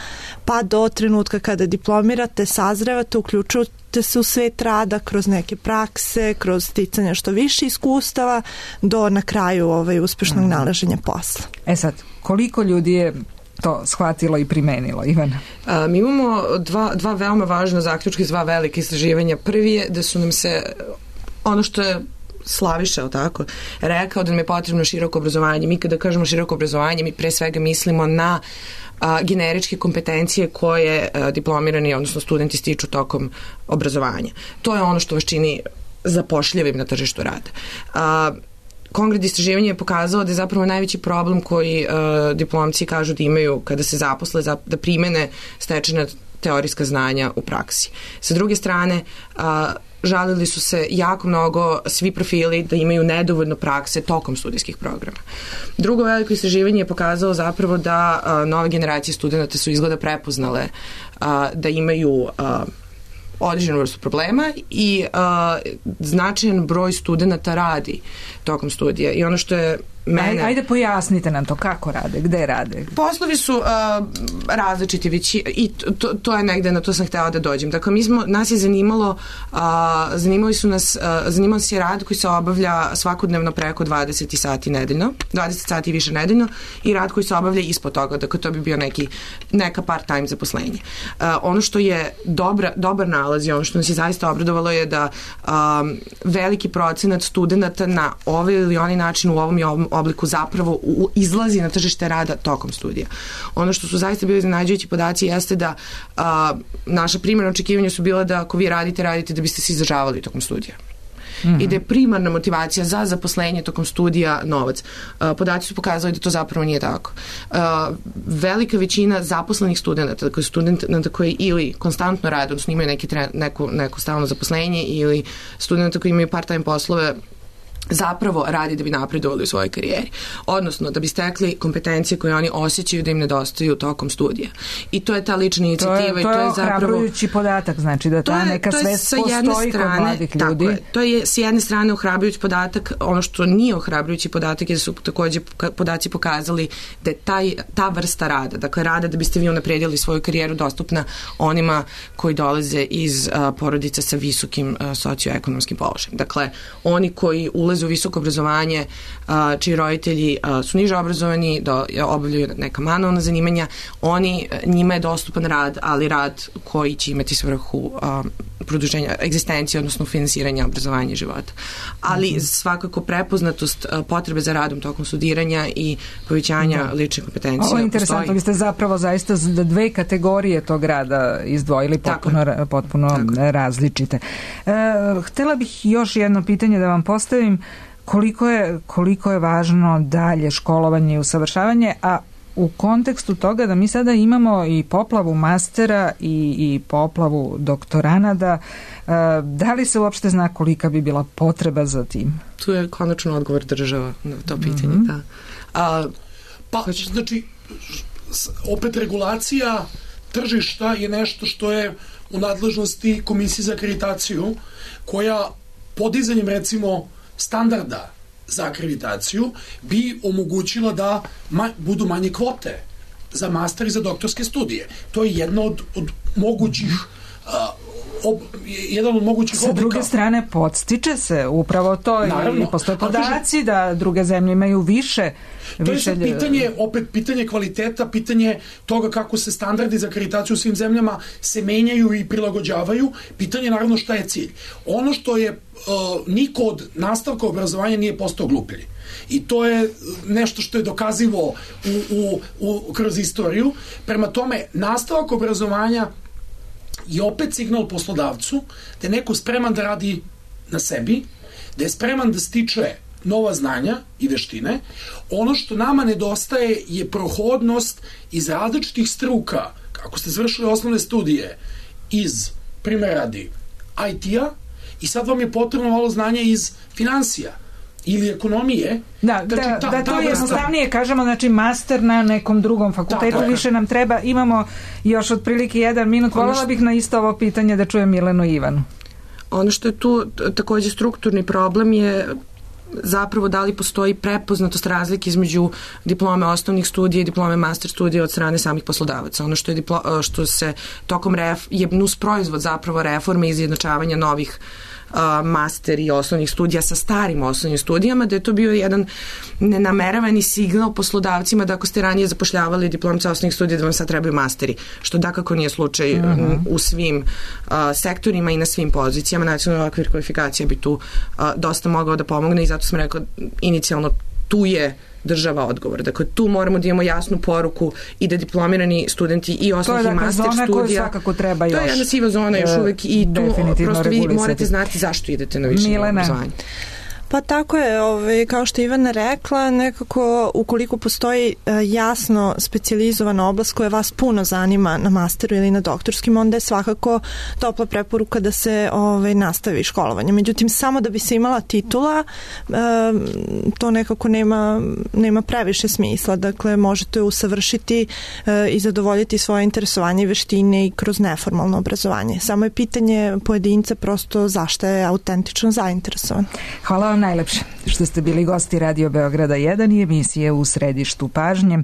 pa do trenutka kada diplomirate, sazrevate, uključujete se u svet rada kroz neke prakse, kroz sticanje što više iskustava, do na kraju uspešnog nalaženja posla. Sad, koliko ljudi je to shvatilo i primenilo, Ivana? Mi imamo dva veoma važna zaključka iz 2 velike istraživanja. Prvi je da su nam se, ono što je Slaviša, tako, rekao da nam je potrebno široko obrazovanje. Mi kada kažemo široko obrazovanje, mi pre svega mislimo na generičke kompetencije koje diplomirani, odnosno studenti stiču tokom obrazovanja. To je ono što vas čini zapošljivim na tržištu rada. Konkretno istraživanje je pokazalo da je zapravo najveći problem koji diplomci kažu da imaju kada se zaposle, da primene stečena teorijska znanja u praksi. Sa druge strane, žalili su se jako mnogo svi profili da imaju nedovoljno prakse tokom studijskih programa. Drugo veliko istraživanje je pokazalo zapravo da nove generacije studenta su izgleda prepoznale da imaju određenu vrstu problema i značajan broj studenta radi tokom studija. I ono što je Ajde pojasnite nam to, kako rade, gde rade? Poslovi su različiti i to je negde, na to sam htela da dođem. Dakle, nas je zanimao se rad koji se obavlja svakodnevno preko 20 sati nedeljno, 20 sati više nedeljno, i rad koji se obavlja ispod toga, dakle to bi bio neka part-time zaposlenje. Ono što je dobar nalaz i ono što nas je zaista obradovalo je da veliki procenat studenta na ovaj ili onaj način u ovom i ovom obliku zapravo izlazi na tržište rada tokom studija. Ono što su zaista bili iznenađujući podaci jeste da naša primarna očekivanja su bila da ako vi radite da biste se izdržavali tokom studija. I da je primarna motivacija za zaposlenje tokom studija novac. Podaci su pokazali da to zapravo nije tako. Velika većina zaposlenih studenta, dakle studenta koji ili konstantno rade, odnosno imaju neko stalno zaposlenje, ili studenta koji imaju part-time poslove, zapravo radi da bi napredovali u svojoj karijeri. Odnosno, da bi stekli kompetencije koje oni osjećaju da im nedostaju tokom studija. I to je ta lična inicijativa. To je ohrabrujući podatak, znači da ta neka svest postoji kod mladih ljudi. Tako je. To je s jedne strane ohrabrujući podatak. Ono što nije ohrabrujući podatak je da su takođe podaci pokazali da je ta vrsta rada, dakle rada da biste vi unapredili svoju karijeru, dostupna onima koji dolaze iz porodica sa visokim socioekonomskim položajem. Dakle, oni koji ulaze u visoko obrazovanje, čiji roditelji su niže obrazovani, obavljaju neka manualna zanimanja, njima je dostupan rad, ali rad koji će imati svrhu produženja egzistencije, odnosno finansiranja obrazovanja i života. Ali svakako prepoznatost potrebe za radom tokom studiranja i povećanja lične kompetencije. Ovo je interesantno, vi ste zapravo zaista dve kategorije tog rada izdvojili potpuno različite. Htela bih još jedno pitanje da vam postavim. Koliko je važno dalje školovanje i usavršavanje, a u kontekstu toga da mi sada imamo i poplavu mastera i poplavu doktoranada, da li se uopšte zna kolika bi bila potreba za tim? Tu je konačno odgovor država na to pitanje. Znači, opet regulacija tržišta je nešto što je u nadležnosti Komisije za akreditaciju, koja podizanjem recimo standarda za akreditaciju bi omogućila da budu manje kvote za master i za doktorske studije. To je jedno od mogućih jedan od mogućih oblika. Sa druge strane, podstiče se upravo to. Naravno, i postoje podaci da druge zemlje imaju više. To je sad pitanje kvaliteta, pitanje toga kako se standardi za akreditaciju u svim zemljama se menjaju i prilagođavaju. Pitanje naravno šta je cilj. Ono što je niko od nastavka obrazovanja nije postao gluplji. I to je nešto što je dokazivo kroz istoriju. Prema tome, nastavak obrazovanja je opet signal poslodavcu da je neko spreman da radi na sebi, da je spreman da stiče nova znanja i veštine. Ono što nama nedostaje je prohodnost iz različitih struka. Ako ste završili osnovne studije iz, primjer radi, IT-a, i sad vam je potrebno malo znanja iz finansija ili ekonomije. Da to je jednostavnije, kažemo, znači master na nekom drugom fakultetu, više nam treba, imamo još otprilike 1 minut, voljela bih na isto ovo pitanje da čujem Milenu i Ivanu. Ono što je tu takođe strukturni problem je zapravo da li postoji prepoznatost razlike između diplome osnovnih studija i diplome master studija od strane samih poslodavaca. Ono što se tokom je nus proizvod zapravo reforme i izjednačavanja novih master i osnovnih studija sa starim osnovnim studijama, da je to bio jedan nenameravani signal poslodavcima da ako ste ranije zapošljavali diplomce osnovnih studija da vam sad trebaju masteri, što dakako nije slučaj u svim sektorima i na svim pozicijama. Nacionalni okvir kvalifikacija bi tu dosta mogao da pomogne i zato sam rekla inicijalno tu je država odgovor. Dakle, tu moramo da imamo jasnu poruku i da diplomirani studenti i osnovnih i master studija. To je svakako treba još. To je jedna siva zona još uvek i tu prosto vi morate znati zašto idete na više obrazovanje. Pa tako je, kao što je Ivana rekla, nekako ukoliko postoji jasno specijalizovana oblast koja vas puno zanima na masteru ili na doktorskim, onda je svakako topla preporuka da se nastavi školovanje. Međutim, samo da bi se imala titula, to nekako nema previše smisla. Dakle, možete usavršiti i zadovoljiti svoje interesovanje i veštine i kroz neformalno obrazovanje. Samo je pitanje pojedinca prosto zašto je autentično zainteresovan. Hvala vam vam najlepše što ste bili gosti Radio Beograda 1 i emisije U središtu pažnje.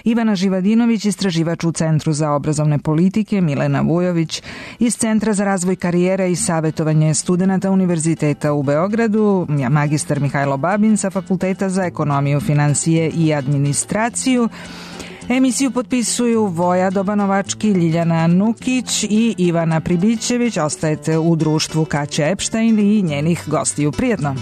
Ivana Živadinović, istraživač u Centru za obrazovne politike, Milena Vujović iz Centra za razvoj karijere i savjetovanje studenata Univerziteta u Beogradu, magistar Mihajlo Babin sa Fakulteta za ekonomiju, finansije i administraciju. Emisiju potpisuju Voja Dobanovački, Ljiljana Nukić i Ivana Pribićević. Ostajete u društvu Kaće Epštajn i njenih gostiju. Prijetno!